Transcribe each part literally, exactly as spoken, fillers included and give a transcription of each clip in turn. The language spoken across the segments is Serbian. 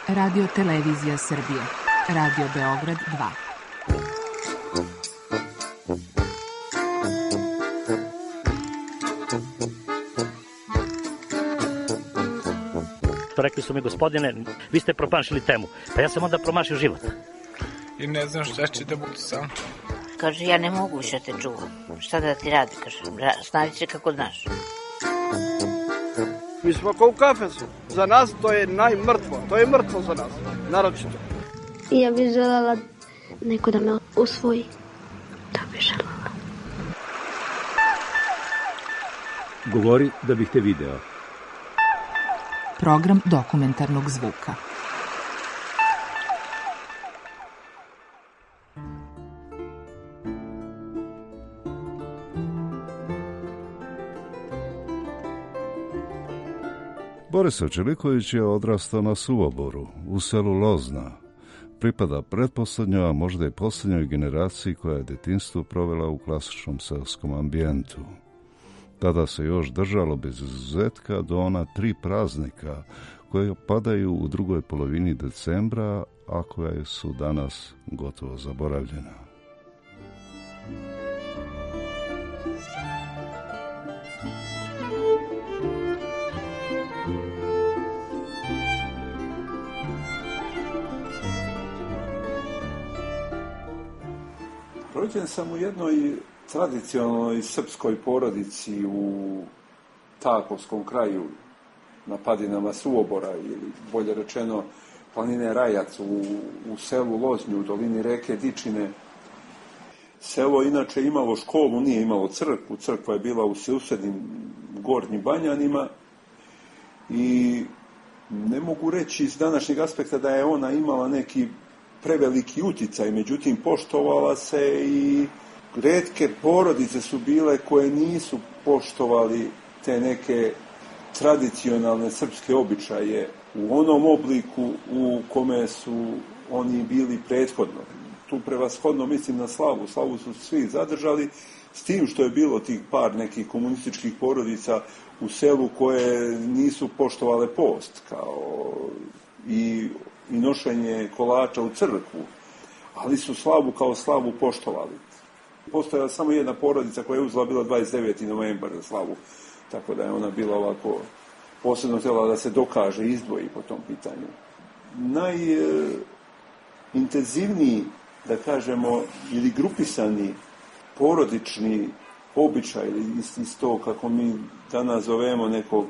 Radio Televizija Srbije. Radio Beograd dva. Rekli su mi, gospodine, vi ste promašili temu. Pa ja sam onda promašio život. I ne znam šta će da budu sam. Kaže, ja ne mogu više te čuvam. Šta da ti radi, kaže, snavi se kako znaš. Mi smo kao u kafesu. Za nas to je najmrtvo. To je mrtvo za nas, naročito. Ja bih želela neko da me usvoji. To bih želela. Govori da bih te video. Program dokumentarnog zvuka. Borisav Čeliković je odrastao na Suvoboru, u selu Lozna. Pripada pretposlednjoj, a možda i poslednjoj generaciji koja je detinjstvo provela u klasičnom selskom ambijentu. Tada se još držalo bez izuzetka do ona tri praznika koje padaju u drugoj polovini decembra, a koja su danas gotovo zaboravljena. Rođen sam u jednoj tradicionalnoj srpskoj porodici u Takovskom kraju, na padinama Suobora, ili bolje rečeno planine Rajac, u, u selu Loznju, u dolini reke Dičine. Selo inače imalo školu, nije imalo crkvu, crkva je bila u susjednim Gornjim Banjanima i ne mogu reći iz današnjeg aspekta da je ona imala neki preveliki uticaj, međutim poštovala se i retke porodice su bile koje nisu poštovali te neke tradicionalne srpske običaje u onom obliku u kome su oni bili prethodno. Tu prevashodno mislim na slavu. Slavu su svi zadržali, s tim što je bilo tih par nekih komunističkih porodica u selu koje nisu poštovale post kao i, i nošenje kolača u crkvu, ali su slavu kao slavu poštovali. Postojala samo jedna porodica koja je uzela bila dvadeset deveti novembar za slavu, tako da je ona bila ovako posebno htjela da se dokaže i izdvoji po tom pitanju. Najintenzivniji, da kažemo, ili grupisani porodični običaj, ili isto kako mi danas zovemo nekog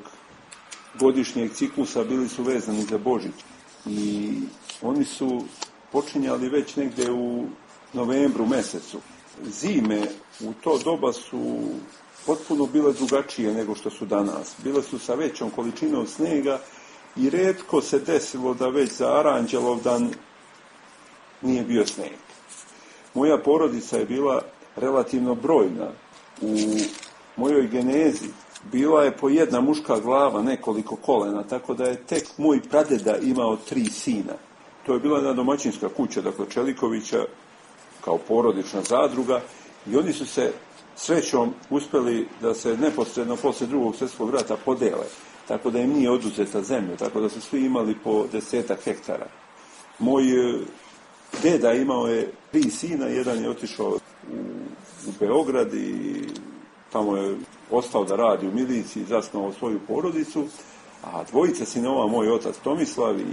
godišnjeg ciklusa, bili su vezani za Božić. I oni su počinjali već negde u novembru mesecu. Zime u to doba su potpuno bile drugačije nego što su danas. Bile su sa većom količinom snega i retko se desilo da već za Aranđelovdan nije bio sneg. Moja porodica je bila relativno brojna. U mojoj genezi bila je po jedna muška glava, nekoliko kolena, tako da je tek moj pradeda imao tri sina. To je bila jedna domaćinska kuća, dakle Čelikovića, kao porodična zadruga, i oni su se srećom uspeli da se neposredno posle drugog svjetskog rata podele, tako da im nije oduzeta zemlja, tako da su svi imali po desetak hektara. Moj deda imao je tri sina, jedan je otišao u, u Beograd i tamo je ostao da radi u miliciji, zasnovao svoju porodicu, a dvojica sinova, moj otac Tomislav i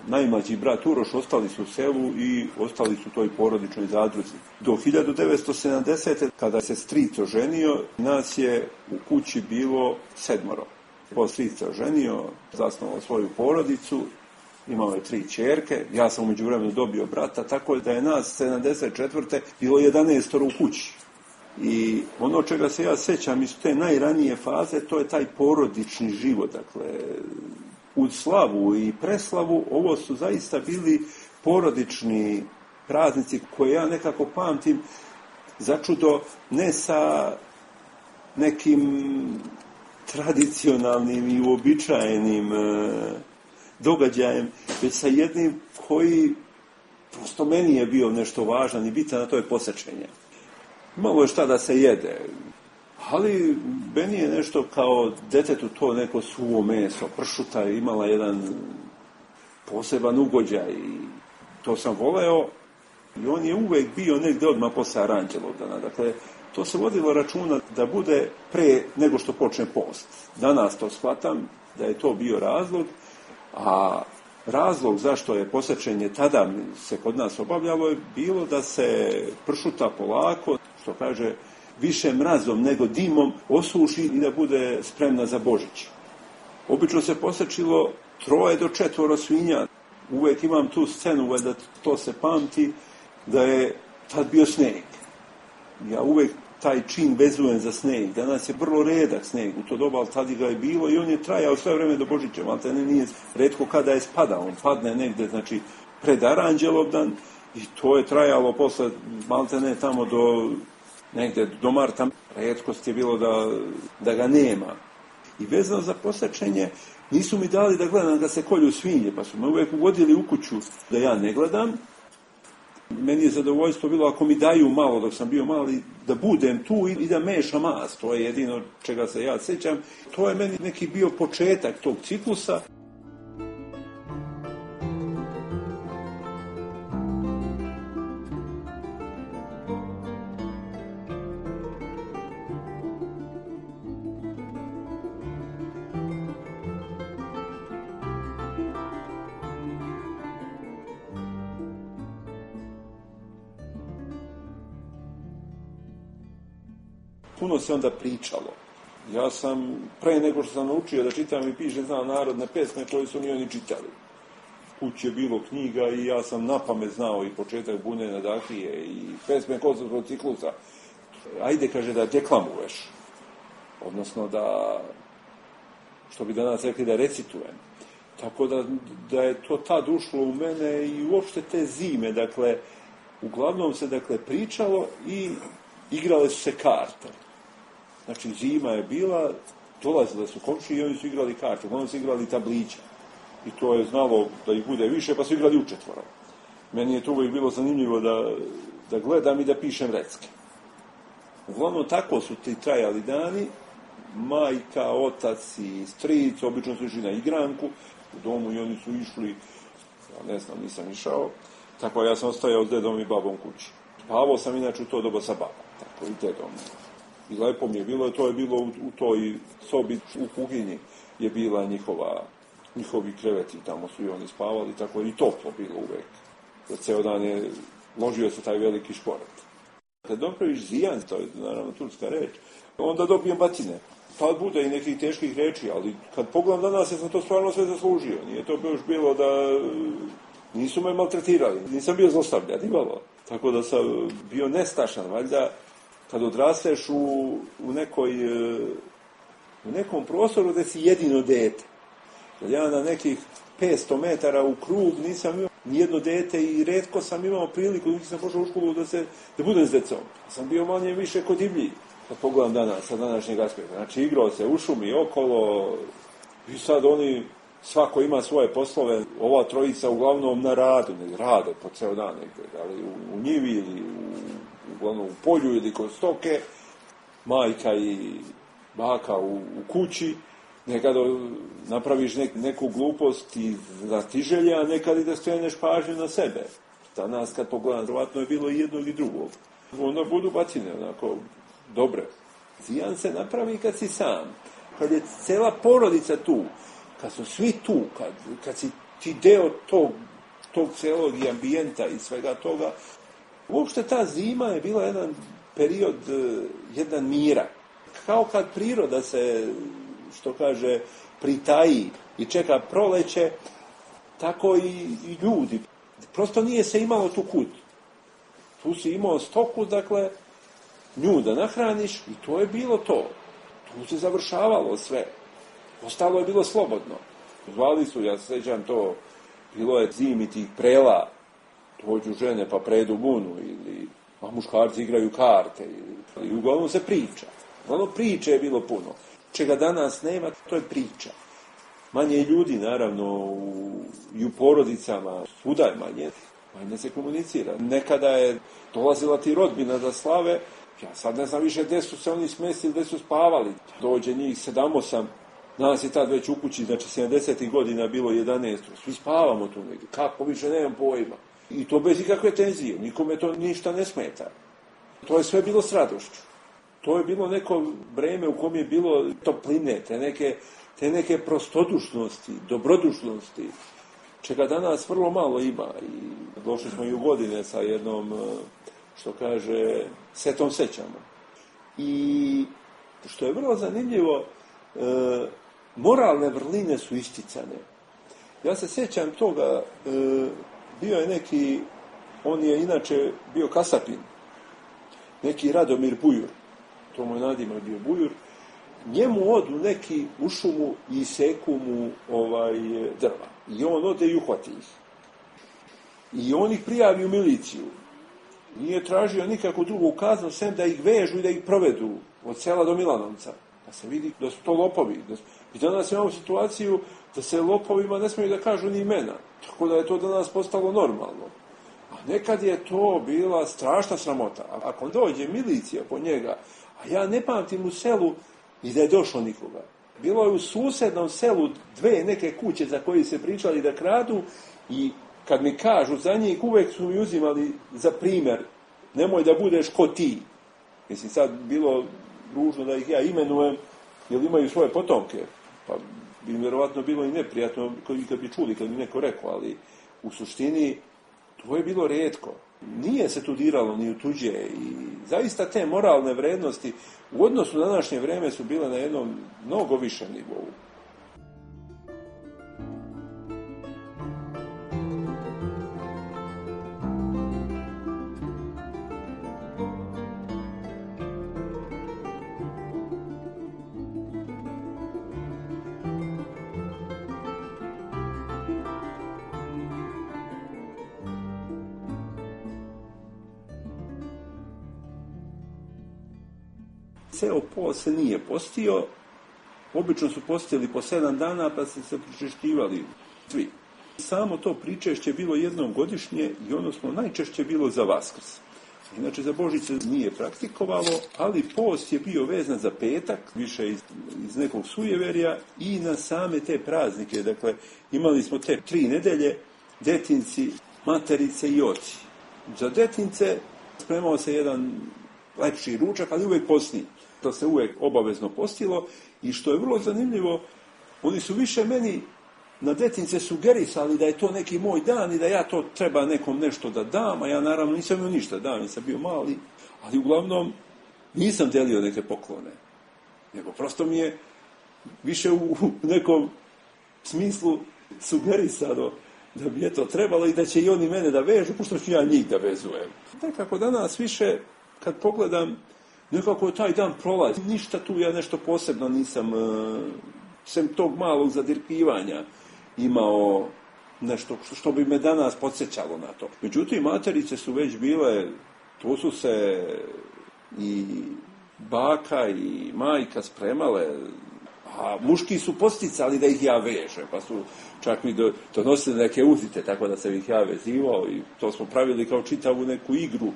najmlađi brat Uroš, ostali su u selu i ostali su toj porodičnoj zadruzi. Do hiljadu devetsto sedamdesete. kada se stric oženio, nas je u kući bilo sedmoro. Po stric se oženio, zasnovao svoju porodicu, imao je tri ćerke, ja sam u međuvremenu dobio brata, tako da je nas sedamdeset četvrte bilo jedanaestoro u kući. I ono čega se ja sećam iz te najranije faze, to je taj porodični život, dakle, uz slavu i preslavu, ovo su zaista bili porodični praznici koje ja nekako pamtim začudo ne sa nekim tradicionalnim i uobičajenim događajem, već sa jednim koji prosto meni je bio nešto važan i bitan, a to je posečenje. Imalo je šta da se jede, ali meni je nešto kao detetu to neko suvo meso, pršuta je imala jedan poseban ugođaj i to sam voleo i on je uvek bio negdje odmah posle Aranđelovdana. Dakle, to se vodilo računa da bude pre nego što počne post. Danas to shvatam da je to bio razlog, a razlog zašto je posečenje tada se kod nas obavljalo je bilo da se pršuta polako, što kaže, više mrazom nego dimom osuši i da bude spremna za Božić. Obično se posečilo troje do četvoro svinja. Uvek imam tu scenu, da to se pamti, da je tad bio sneg. Ja uvek taj čin vezujem za sneg. Danas je vrlo redak sneg u to doba, ali tad ga je bilo i on je trajao sve vreme do Božića. Maltene nije retko kada je spadao. On padne negde, znači, pred Aranđelovdan i to je trajalo posle maltene tamo do negde do marta. Retkost je bilo da, da ga nema. I vezano za posečenje, nisu mi dali da gledam da se kolju svinje, pa su me uvek uvodili u kuću da ja ne gledam. Meni je zadovoljstvo bilo ako mi daju malo dok sam bio mali, da budem tu i da mešam mast. To je jedino čega se ja sjećam. To je meni neki bio početak tog ciklusa. Puno se onda pričalo. Ja sam, pre nego što sam naučio da čitam i pišem, znao narodne pesme koje su ni oni čitali. Kući je bilo knjiga i ja sam napamet znao i početak Bune Nadahlije i pesme Kosovskog ciklusa. Ajde, kaže, da deklamuješ. Odnosno da, što bi danas rekli, da recitujem. Tako da, da je to tad ušlo u mene i uopšte te zime, dakle, uglavnom se, dakle, pričalo i igrale su se karte. Znači, zima je bila, dolazile su komšije i oni su igrali karte, oni su igrali tablića. I to je znalo da ih bude više, pa su igrali učetvoro. Meni je to uvijek bilo zanimljivo da, da gledam i da pišem recke. Uglavnom, tako su ti trajali dani. Majka, otac i stric, obično su išli na igranku u domu i oni su išli, ja ne znam, nisam išao. Tako ja sam ostajao s dedom i babom kući. Spavao sam inače u to doba sa babom, tako i dedom. I lepo mi je bilo, to je bilo u, u toj sobi u kuhinji je bila njihova, njihovi kreveti, tamo su i oni spavali, tako i toplo bilo uvek. Za ceo dan je ložio se taj veliki šporet. Kad dopraviš zijan, to je naravno turska reč, onda dobijem batine. Tad bude i nekih teških reči, ali kad pogledam danas, ja sam to stvarno sve zaslužio. Nije to još bilo da nisu me maltretirali, nisam bio zlostavljan, imalo. Tako da sam bio nestašan, valjda, kad odrasteš u, u, nekoj, u nekom prostoru gde si jedino dete. Kad ja na nekih petsto metara u krug nisam imao nijedno dete i retko sam imao priliku, dok sam pošao u školu da, se, da budem s decom. Sam bio manje više kod divlji, kad pogledam danas, sa današnjeg aspekta. Znači, igrao se u šumi okolo i sad oni, svako ima svoje poslove, ova trojica uglavnom na radu, ne rade po ceo dan, nekde, ali u, u njivi ili u, uglavnom u polju ili kod stoke, majka i baka u, u kući, nekada napraviš nek, neku glupost i da ti želja, nekad i da skreneš pažnju na sebe. Danas kad pogledam, vjerovatno je bilo i jednog i drugog. Onda budu batine, onako, dobre. Zijan se napravi kad si sam, kad je cela porodica tu, kad su svi tu, kad, kad si ti deo tog, tog celog i ambijenta i svega toga. Uopšte ta zima je bila jedan period, jedan mira. Kao kad priroda se, što kaže, pritaji i čeka proleće, tako i, i ljudi. Prosto nije se imalo tu kud. Tu si imao stoku, dakle, nju da nahraniš i to je bilo to. Tu se završavalo sve. Ostalo je bilo slobodno. Zvali su, ja se sjećam to, bilo je zimi tih prela, dođu žene pa predu bunu, ili a muškarci igraju karte, ili, i uglavnom se priča. Uglavnom priče je bilo puno. Čega danas nema, to je priča. Manje ljudi, naravno, u, i u porodicama, svuda je manje, manje se komunicira. Nekada je dolazila ti rodbina da slave, ja sad ne znam više gde su se oni smestili, gde su spavali. Dođe njih sedam, osam, Nas je tad već u kući, znači sedamdesetih godina bilo jedanaest, svi spavamo tu negdje, kako više nemam pojma. I to bez ikakve tenzije, nikome to ništa ne smeta. To je sve bilo s radošću. To je bilo neko vreme u kom je bilo topline, te neke, te neke prostodušnosti, dobrodušnosti, čega danas vrlo malo ima. I došli smo i u godine sa jednom, što kaže, setom sećama. I što je vrlo zanimljivo, e, moralne vrline su isticane. Ja se sjećam toga, e, bio je neki, on je inače bio kasapin, neki Radomir Bujur, to mu je nadimak bio Bujur, njemu odu neki u šumu i seku mu ovaj, drva. I on ode i uhvati ih. I on ih prijavi u miliciju. Nije tražio nikakvu drugu kaznu, sem da ih vežu i da ih provedu od sela do Milanovca. Da se vidi da su to lopovi. I danas imamo situaciju da se lopovima ne smiju da kažu ni imena. Tako da je to danas postalo normalno. A nekad je to bila strašna sramota. A ako dođe milicija po njega, a ja ne pamtim u selu i da je došlo nikoga. Bilo je u susednom selu dve neke kuće za koje se pričali da kradu i kad mi kažu za njih, uvek su mi uzimali za primjer, nemoj da budeš ko ti. Mislim, sad bilo ružno da ih ja imenujem, jer imaju svoje potomke. Pa bi im vjerovatno bilo i neprijatno kad bi čuli, kad bi neko rekao, ali u suštini to je bilo rijetko. Nije se tu diralo ni u tuđe i zaista te moralne vrednosti u odnosu na današnje vreme su bile na jednom mnogo višem nivou. Ceo post se nije postio, obično su postili po sedam dana pa se se pričešćivali svi. Samo to pričešće bilo jednom godišnje i ono smo najčešće bilo za Vaskrs. Inače za Božić se nije praktikovalo, ali post je bio vezan za petak, više iz, iz nekog sujeverja i na same te praznike. Dakle, imali smo te tri nedelje, detinci, materice i oci. Za detince spremao se jedan lepši ručak, ali uvijek postni. To se uvijek obavezno postilo i što je vrlo zanimljivo, oni su više meni na detince sugerisali da je to neki moj dan i da ja to treba nekom nešto da dam, a ja naravno nisam imao ništa dam, nisam bio mali, ali uglavnom nisam delio neke poklone. Nego prosto mi je više u nekom smislu sugerisano da bi je to trebalo i da će i oni mene da vežu, pošto ću ja njih da vezujem. Nekako danas više, kad pogledam, nekako taj dan prolazi. Ništa tu ja nešto posebno nisam, sem tog malog zadirkivanja, imao nešto što bi me danas podsjećalo na to. Međutim, materice su već bile, tu su se i baka i majka spremale, a muški su posticali da ih ja vežem, pa su čak mi do, donosili neke uzite, tako da sam ih ja vezivao i to smo pravili kao čitavu neku igru.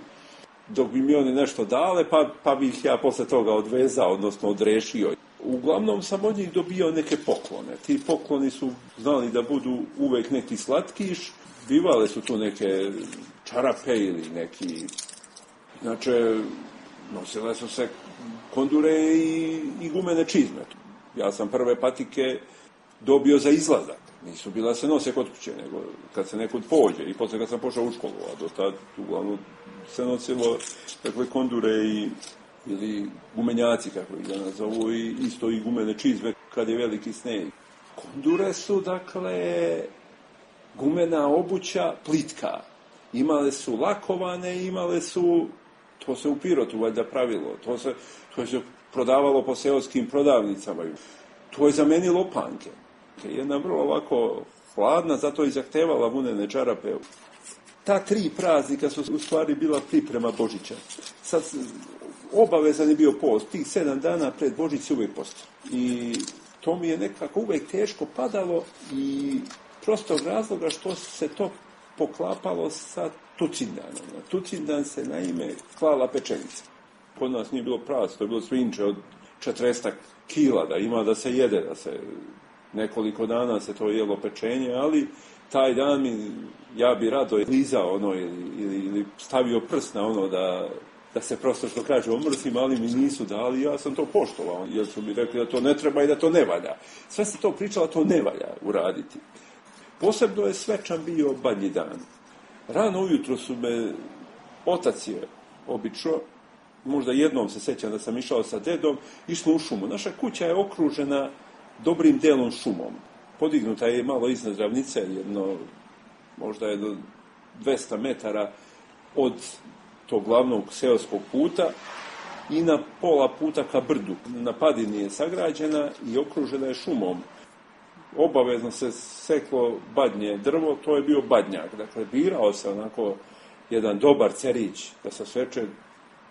Dok bi mi oni nešto dale, pa, pa bi ih ja posle toga odvezao, odnosno odrešio. Uglavnom sam od njih dobio neke poklone. Ti pokloni su znali da budu uvek neki slatkiš, bivale su tu neke čarape ili neki... Inače, nosile su se kondure i, i gumene čizme. Ja sam prve patike dobio za izlazak. Nisu bila se nose kod kuće, nego kad se nekud pođe. I posle kad sam pošao u školu, a do tad uglavnom se nosilo dakle, kondure i, ili gumenjaci, kako ih danas zovu, i isto i gumene čizme kad je veliki sneg. Kondure su, dakle, gumena obuća plitka. Imale su lakovane, imale su, to se u Pirotu valjda pravilo, to se, to se prodavalo po seoskim prodavnicama. To je zamenilo panke. Jedna vrlo ovako hladna, zato i zahtevala vunene čarape. Ta tri praznika su u stvari bila priprema Božića. Sad obavezan je bio post, tih sedam dana pred Božić se uvijek posti. I to mi je nekako uvijek teško padalo i prostog razloga što se to poklapalo sa Tucindanom. Na Tucindan se naime klala pečenica. Kod nas nije bilo prase, to je bilo svinče od četrdeset kila, da ima da se jede, da se nekoliko dana se to jelo pečenje, ali taj dan mi, ja bi rado lizao ono ili, ili, ili stavio prst na ono da, da se prosto što kaže omrsim, ali mi nisu dali, ja sam to poštovao, jer su mi rekli da to ne treba i da to ne valja. Sve se to pričalo, to ne valja uraditi. Posebno je svečan bio Badnji dan. Rano ujutro su me, otac je obično, možda jednom se sećam da sam išao sa dedom, išli u šumu. Naša kuća je okružena dobrim delom šumom. Podignuta je malo iznad ravnice, jedno, možda je do dvesta metara od tog glavnog seoskog puta i na pola puta ka brdu. Na padini je sagrađena i okružena je šumom. Obavezno se seklo badnje drvo, to je bio badnjak. Dakle, birao se onako jedan dobar cerić da se seče.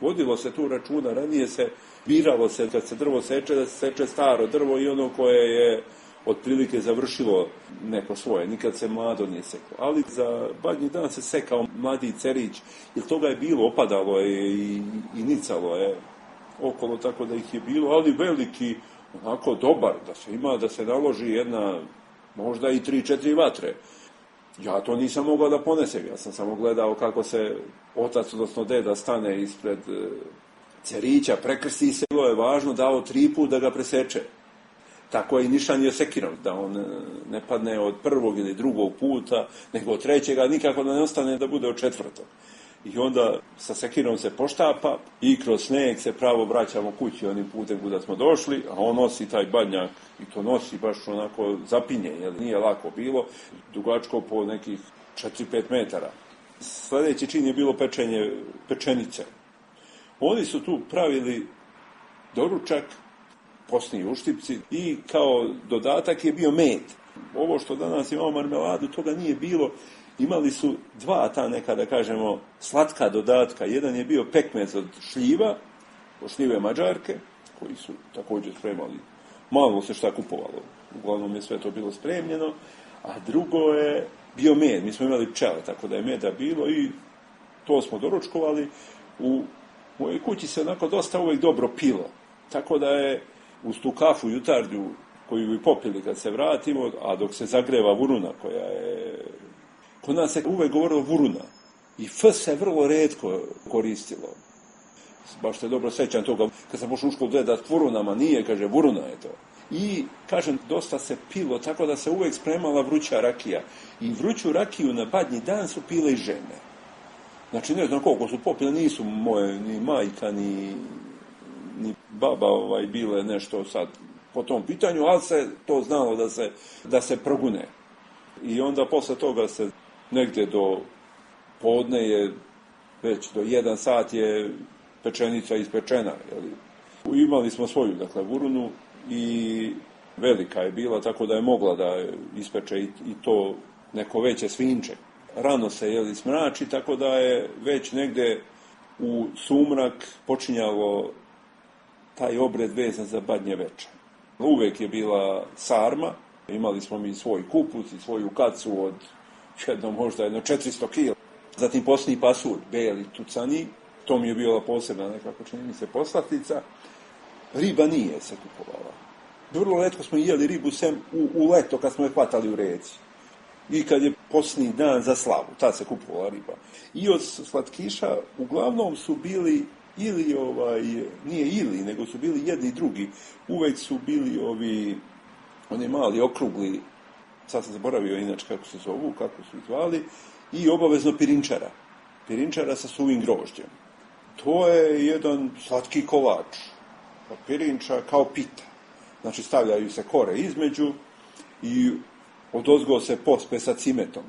Vodilo se tu računa, ranije se biralo se kad se drvo seče, da se seče staro drvo i ono koje je otprilike završilo neko svoje, nikad se mlado nije seklo. Ali za Badnji dan se sekao mladi cerić, jer toga je bilo, opadalo je i, i nicalo je okolo, tako da ih je bilo, ali veliki, onako dobar, da se ima, da se naloži jedna, možda i tri, četiri vatre. Ja to nisam mogao da ponesem, ja sam samo gledao kako se otac, odnosno deda, stane ispred cerića, prekrsti se, bilo je važno dao tri put da ga preseče. Tako je i nišanje sekirom, da on ne padne od prvog ili drugog puta, nego od trećega, nikako da ne ostane da bude od četvrtog. I onda sa sekirom se poštapa i kroz sneg se pravo vraćamo kući onim putem kuda smo došli, a on nosi taj badnjak i to nosi baš onako zapinje, jer nije lako bilo, dugačko po nekih četiri pet metara. Sljedeći čin je bilo pečenje pečenice. Oni su tu pravili doručak, posni uštipci i kao dodatak je bio med. Ovo što danas imamo marmeladu, toga nije bilo. Imali su dva ta neka, da kažemo, slatka dodatka. Jedan je bio pekmez od šljiva, od šljive Mađarke, koji su također spremali. Malo se šta kupovalo. Uglavnom je sve to bilo spremljeno. A drugo je bio med. Mi smo imali pčele, tako da je meda bilo i to smo doručkovali. U mojoj kući se onako dosta uvijek dobro pilo. Tako da je uz tu kafu jutarnju koju bi popili kad se vratimo, a dok se zagreva vuruna koja je... Kod nas se uvek govorilo vuruna. I f se vrlo retko koristilo. Baš se dobro sećam toga. Kad sam pošao u školu da vurunama nije, kaže, vuruna je to. I, kažem, dosta se pilo, tako da se uvek spremala vruća rakija. I vruću rakiju na Badnji dan su pile i žene. Znači, ne znam koliko su popile, nisu moje ni majka, ni, ni baba ovaj, bile nešto sad po tom pitanju, ali se to znalo da se, da se progune. I onda posle toga se negde do podne je, već do jedan sat je pečenica ispečena. Jeli? Imali smo svoju, dakle, vurunu i velika je bila, tako da je mogla da ispeče i, i to neko veće svinče. Rano se jeli smrači, tako da je već negde u sumrak počinjalo taj obred vezan za Badnje veče. Uvek je bila sarma, imali smo mi svoj kupus i svoju kacu od jedno, možda jedno četiristo kila. Zatim posni pasulj, beli tucani, to mi je bila posebna nekako, čini mi se, poslatica. Riba nije se kupovala. Vrlo retko smo jeli ribu sem u, u leto kad smo je hvatali u reci. I kad je posni dan za slavu, tad se kupovala riba. I od slatkiša uglavnom su bili ili, ovaj, nije ili, nego su bili jedni i drugi. Uvek su bili ovi, oni mali, okrugli, sad sam zaboravio inače kako se zovu, kako su ih zvali, i obavezno pirinčara. Pirinčara sa suvim grožđem. To je jedan slatki kolač. Pirinča kao pita. Znači stavljaju se kore između i odozgo se pospe sa cimetom.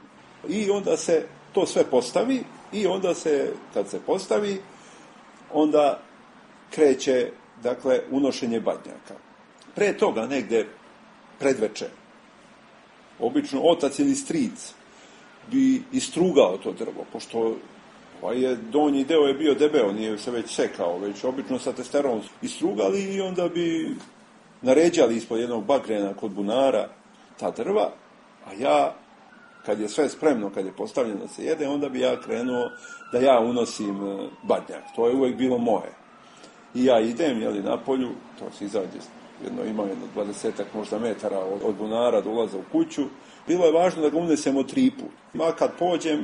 I onda se to sve postavi i onda se, kad se postavi, onda kreće, dakle, unošenje badnjaka. Pre toga negde predveče, obično otac ili stric bi istrugao to drvo, pošto ovaj je, donji deo je bio debeo, nije se već sekao, već obično sa testerom istrugali i onda bi naređali ispod jednog bagrena kod bunara ta drva, a ja, kad je sve spremno, kad je postavljeno da se jede, onda bi ja krenuo da ja unosim badnjak. To je uvek bilo moje. I ja idem, jeli, na polju, to se izađe, jedno ima jedno dvadesetak možda metara od, od bunara do ulaza u kuću. Bilo je važno da ga unesemo tri put. Ma kad pođem,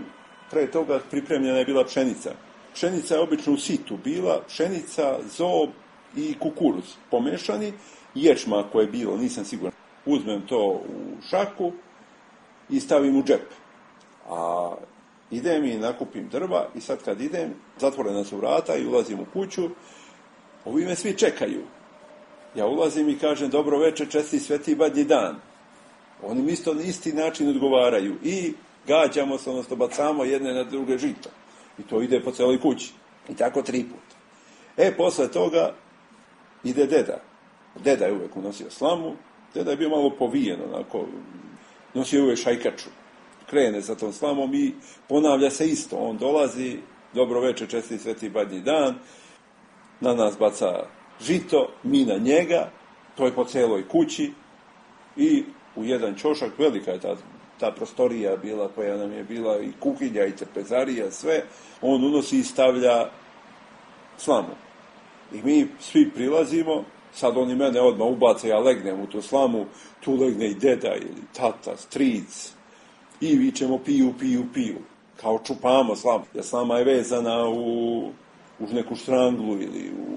pre toga pripremljena je bila pšenica. Pšenica je obično u situ bila, pšenica, zob i kukuruz pomešani, ječma koje je bilo, nisam siguran. Uzmem to u šaku i stavim u džep. A idem i nakupim drva i sad kad idem, zatvorena su vrata i ulazim u kuću, ovi me svi čekaju. Ja ulazim i kažem dobro večer, česti sveti badnji dan. Oni mi isto na isti način odgovaraju i gađamo se, odnosno bacamo jedne na druge žito. I to ide po celoj kući. I tako tri puta. E, posle toga ide deda. Deda je uvek unosio slamu. Deda je bio malo povijen, onako, nosio uvek šajkaču. Krene sa tom slamom i ponavlja se isto. On dolazi, dobro večer, česti sveti badnji dan, na nas baca žito, mi na njega, to je po celoj kući i u jedan ćošak, velika je ta, ta prostorija bila koja nam je bila i kuhinja i trpezarija, sve, on unosi i stavlja slamu. I mi svi prilazimo, sad oni mene odmah ubace, ja legnem u tu slamu, tu legne i deda ili tata, stric, i vičemo piju, piju, piju, kao čupamo slamu. Jer slama je vezana u, u neku štranglu ili u,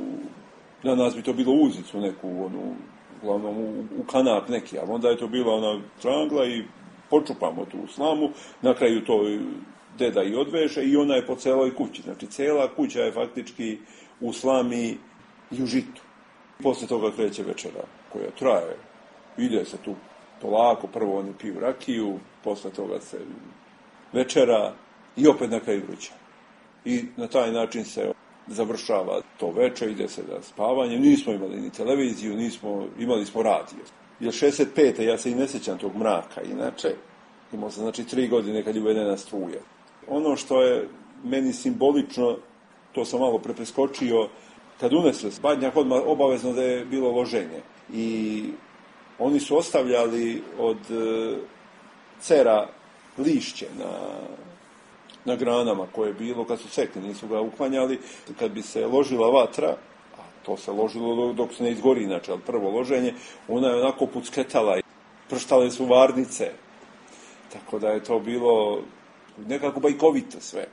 na nas bi to bilo uzicu neku, onu, uglavnom u, u kanap neki, ali onda je to bila ona štrangla i počupamo tu slamu, na kraju to deda i odveže i ona je po celoj kući. Znači, cela kuća je faktički u slami i u žitu. Posle toga kreće večera koja traje. Ide se tu polako, prvo oni piju rakiju, posle toga se večera i opet na kraju vruća. I na taj način se završava to večer, ide se na spavanje. Nismo imali ni televiziju, nismo, imali smo radio. Jer šezdeset pete ja se i ne sjećam tog mraka, inače imao sam znači tri godine kad je uvedena struja. Ono što je meni simbolično, to sam malo prepreskočio, kad unesli badnjak, odmah obavezno da je bilo loženje. I oni su ostavljali od e, cera lišće na, na granama koje je bilo, kad su sekli, nisu ga uklanjali. Kad bi se ložila vatra, a to se ložilo dok se ne izgori, inače, ali prvo loženje, ona je onako pucketala i prštale su varnice. Tako da je to bilo nekako bajkovito sve.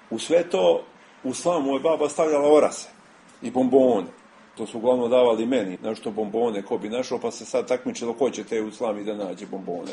U sve to, u slamu je baba stavljala orase i bombone. To su uglavnom davali meni, nešto bombone, ko bi našao, pa se sad takmičilo ko će te u slami da nađe bombone.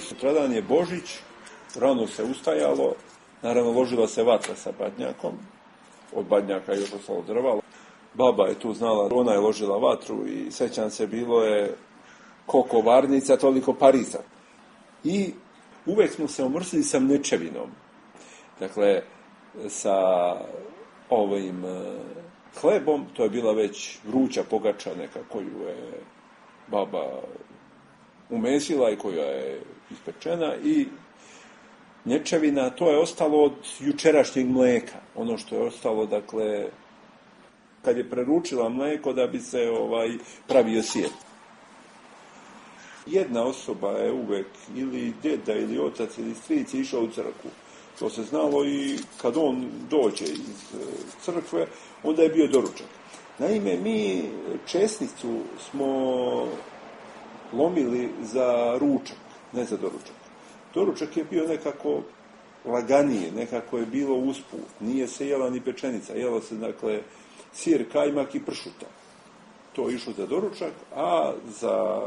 Sutradan je Božić, rano se ustajalo, naravno ložila se vatra sa badnjakom, od badnjaka je još ostalo drva. Baba je tu znala, ona je ložila vatru i sećam se, bilo je koliko varnica, toliko pariza. I uvek smo se omrsili sa mnečevinom. Dakle, sa ovim hlebom, to je bila već vruća pogača neka koju je baba umesila i koja je ispečena, i nječevina, to je ostalo od jučerašnjeg mleka. Ono što je ostalo, dakle, kad je preručila mleko da bi se ovaj pravio sir. Jedna osoba je uvek, ili deda, ili otac, ili stric, išao u crkvu. To se znalo i kad on dođe iz crkve, onda je bio doručak. Naime, mi česnicu smo lomili za ručak, ne za doručak. Doručak je bio nekako laganije, nekako je bilo usput. Nije se jela ni pečenica, jelo se, dakle, sir, kajmak i pršuta. To je išlo za doručak, a za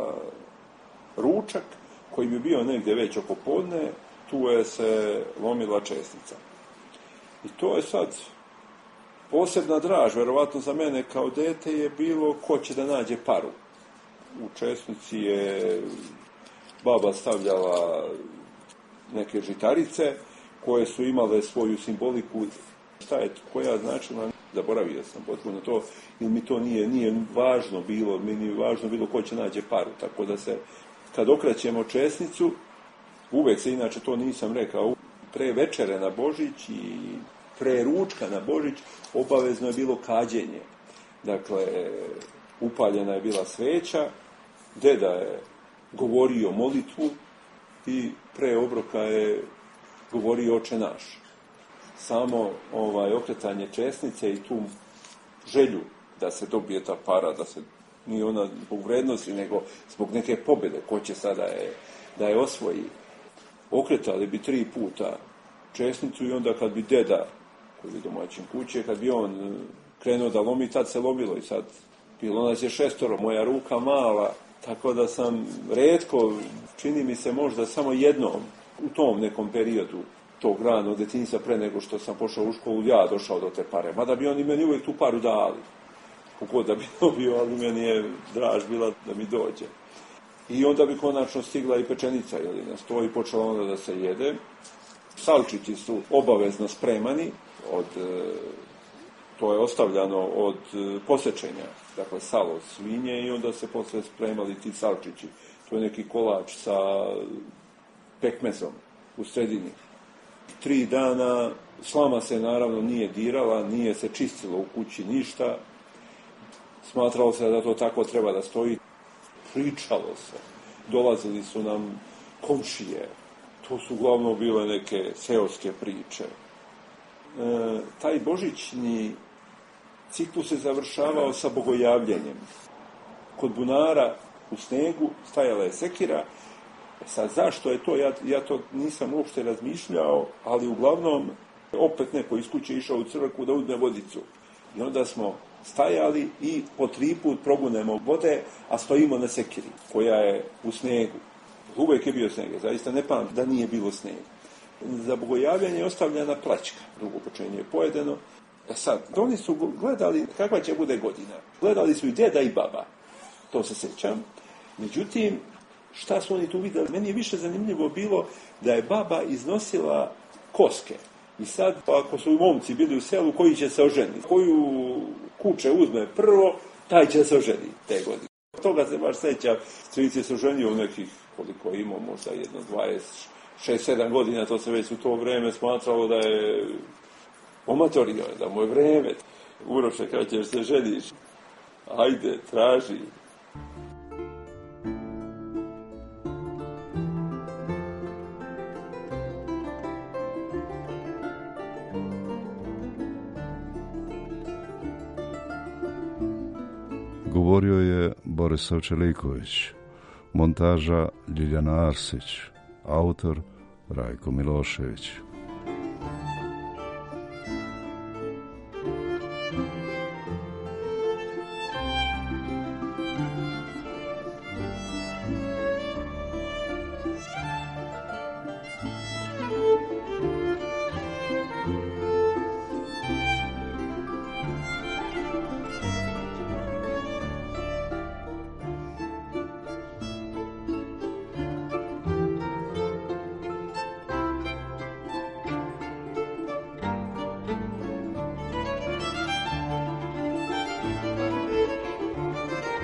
ručak, koji bi bio negdje već oko podne, tu je se lomila česnica. I to je sad Posebna draž, verovatno za mene kao dete, je bilo ko će da nađe paru. U česnici je baba stavljala neke žitarice koje su imale svoju simboliku. Šta je koja značila? Zaboravio sam potpuno to, jer mi to nije, nije važno bilo, mi nije važno bilo ko će nađe paru. Tako da se, kad okrećemo česnicu, uvek se, inače to nisam rekao, pre večere na Božić i pre ručka na Božić obavezno je bilo kađenje. Dakle, upaljena je bila sveća, deda je govorio molitvu i pre obroka je govorio Oče naš. Samo ovaj, okretanje česnice i tu želju da se dobije ta para, da se nije ona zbog vrednosti, nego zbog neke pobjede, ko će sada je, da je osvoji. Okretali bi tri puta česnicu i onda kad bi deda, koji je domaćin kuće, kad bi on krenuo da lomi, tad se lomilo i sad bilo nas je šestoro, moja ruka mala, tako da sam retko, čini mi se možda samo jednom u tom nekom periodu tog ranog detinjstva pre nego što sam pošao u školu, ja došao do te pare. Mada bi oni meni uvijek tu paru dali. Kogod da bi dobio, ali meni je draž bila da mi dođe. I onda bi konačno stigla i pečenica, jel, na sto i počela onda da se jede. Salčići su obavezno spremani, od, to je ostavljano od posečenja, dakle salo od svinje i onda se posle spremali ti salčići. To je neki kolač sa pekmezom u sredini. Tri dana slama se naravno nije dirala, nije se čistilo u kući ništa. Smatralo se da to tako treba da stoji. Pričalo se. Dolazili su nam komšije. To su uglavnom bile neke seoske priče. E, taj božićni ciklus se završavao sa bogojavljenjem. Kod bunara u snegu stajala je sekira. Sad, zašto je to? Ja, ja to nisam uopšte razmišljao, ali uglavnom opet neko iz kuće išao u crkvu da uzme vodicu. I onda smo stajali i po tri put probunemo vode, a stojimo na sekiri, koja je u snegu. Uvijek je bio sneg, zaista ne pamtim da nije bilo snega. Za bogojavljanje je ostavljena plaćka, drugo počenje je pojedeno. E sad, oni su gledali kakva će bude godina. Gledali su i deda i baba, to se sjećam. Međutim, šta su oni tu vidjeli? Meni je više zanimljivo bilo da je baba iznosila koske. I sad, ako su momci bili u selu, koji će se oženiti? Koju kuće uzme prvo, taj će se oženiti te godine. Toga se baš sjeća. Stric je se oženio u nekih, koliko imao, možda jedno dvadeset šest sedam godina, to se već u to vreme smatralo da je omatorio, da mu je vreme. Uroše, kada ćeš se ženiš? Ajde, traži. Govorio je Borisav Čeliković, montaža Ljiljana Arsić, autor Rajko Milošević.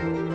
Thank you.